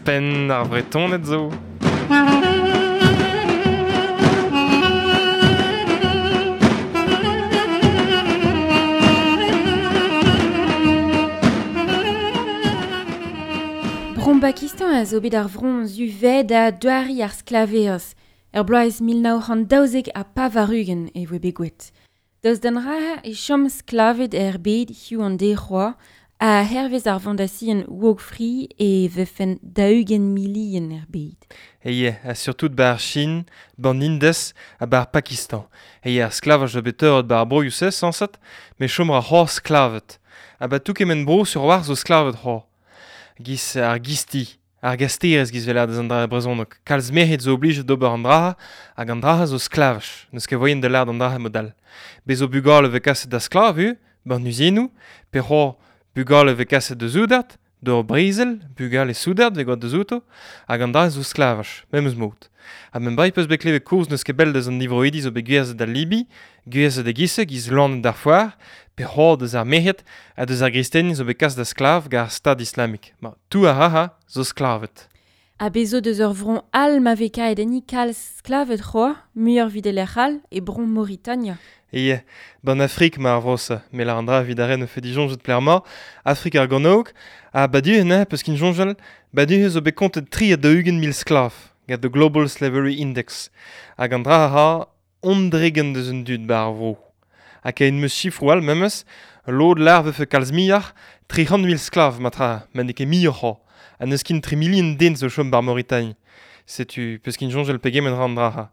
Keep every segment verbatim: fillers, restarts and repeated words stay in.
Penn ar Vretoned zo. Bron Pakistan a zo bet ar vron zu ved a doari ar sklaverezh. Er bloaz mil nav c'hant daouzek ha pevar-ugent e voe bet gwelet. Daoust d'an ra e chom sklavet er bed hiziv an deiz a hervez ar Fondation Walk Free e vefen daou-ugent milion er bed. Eye, ha surtout bar Chine, ban Indes ha bar Pakistan. Eye, ar sklavaj zo bet teuret bar broioù se, sañset, met chom ra c'hoazh sklavet. Ha ba tout kement bro sur war zo sklavet c'hoazh. Giz ar gisti, ar gasterez giz vel deus an dra brezhoneg. Kalz merc'hed zo oblijet d'ober an dra hag an dra zo sklavaj. N'eus ket voien da lâret an dra modal. Bez zo bugale vez kaset da sklav hu, ban uzinoù, pe c'hoazh bugale vez kaset da soudard, d'ur brezel, bugale soudard vez gant da zouto, hag an dra zo sklavaj, memes mod. Ha men bai peus bet klevet koz n'eus ket bell deus an divroidi zo bet gwerzhet da Libi, gwerzhet da gise, giz lanet d'ar foar, pe c'hoazh deus ar merc'hed ha deus ar gristenien zo bet kas da sklav gant ar Stad Islamik. Ma, tout ar raha zo sklavet. Ha bez zo deus ur vron all ma vez kaet enni kalz sklavet c'hoazh, muioc'h evit e lec'h all, e bron Mauritania. Eye, ban Afrik ma ar vro-se, me lar an dra evit ar ren o fe disoñjet pler ma, Afrik ar Gornôg, ha badu ne, peus kin soñjal, badu zo bet kontet tri ha daou-ugent mil sklav, gant the Global Slavery Index, hag an dra a ondregen deus un dud bar ar vro. Ha kaen meus chifroù all memes, lod lar vefe kalz muioc'h, tri c'hant mil sklav matra, ma n'eo ket muioc'h c'hoazh, ha n'eus kin tri milion den zo chom bar Mauritanie. Setu peus kin soñjal pegement ra an dra.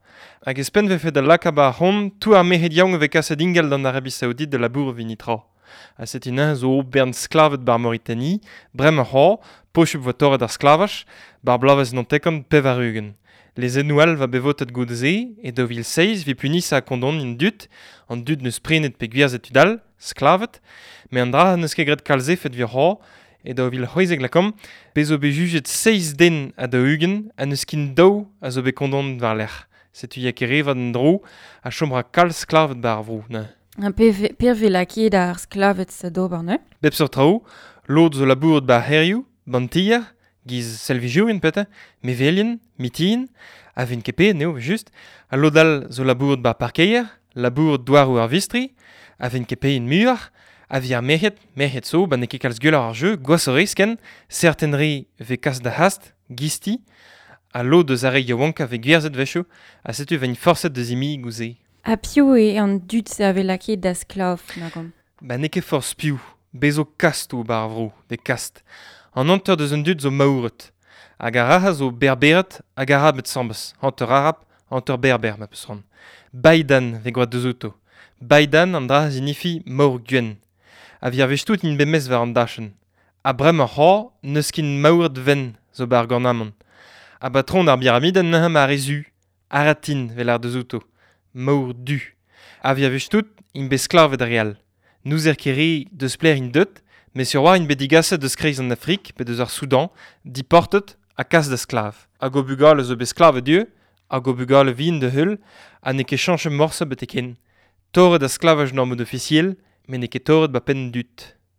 Hag espenn vefe da laka ba ar c'hont, tout ar merc'hed yaouank vez kaset ingal d'an Arabie Saoudite de labour vinitra. Ha setu neuze zo bern sklavet bar Mauritanie, bremañ c'hoazh, pochup vo torret ar sklavaj, bar bloavezh nantekant pevar-ugent. Lezennoù all va bet votet goude-se, e daou vil seizh vi punisa kondon an dud, an dud neus prenet pe gwerzhet tud all, sklavet, met an dra n'eus ket graet kalz efed vir c'hoazh, e daou vil c'hwezek lakomp, bez zo bet jujet seizh den ha daou-ugent ha n'eus kin daou a zo bet kondon war-lerc'h. Setu ya ket revat an dro ha chom ra kalz sklavet bar ar vro, ne. Ha pe per vez lakaet ar sklavet sa d'ober, ne? Bep seurt traoù, lod zo labouret bar c'hêrioù, ban tier, giz selvijourien pete, mevelien, mitien, a vin ket paeet eo, just, ha lod all zo labouret bar parkeier, labouret douaroù ar vistri, a vin ket paeet muioc'h, a vi ar merc'hed, merc'hed zo, ba n'eo ket kalz gwelloc'h ar jeu, gwashoc'h risken, serten re vez kas da hast, gisti, ha lod eus ar re yaouankañ vez gwerzhet wechoù, ha setu vegn forset da zimiñ gouze. Ha piv eo an dud se a vez lakaet da sklav, nagon? Ba n'eo ket forzh piv, bez zo kastoù bar ar vro, de kast. An hanter deus an dud zo maouret. Hag ar raha zo berberet hag arabed sambes, hanter arab, hanter berber, ma peus c'hoant. Baidan vez gwraet deus outo. Baidan an dra zinifi maour gwenn. A vi ar wech tout int bet mez war an dachenn. Ha bremañ c'hoazh n'eus ket maouret ven zo bar gornamant. Ha patron ar biramidenn neuze ma re zu. Aratin vel ar deus outo. Maour du. A vi ar wech tout int bet sklavet ar re all. N'ouzer ket re deus pler int deut, met sur war int bet digaset deus kreiz an Afrik pe deus ar Soudan, diportet ha kas da sklav. Hag o bugale zo bet sklavet ivez, hag o bugale vihan da heul, ha n'eo ket chañchet morse betek-henn. Torret da sklavaj n'ar mod ofisiel, met n'eo ket torret ba penn dud.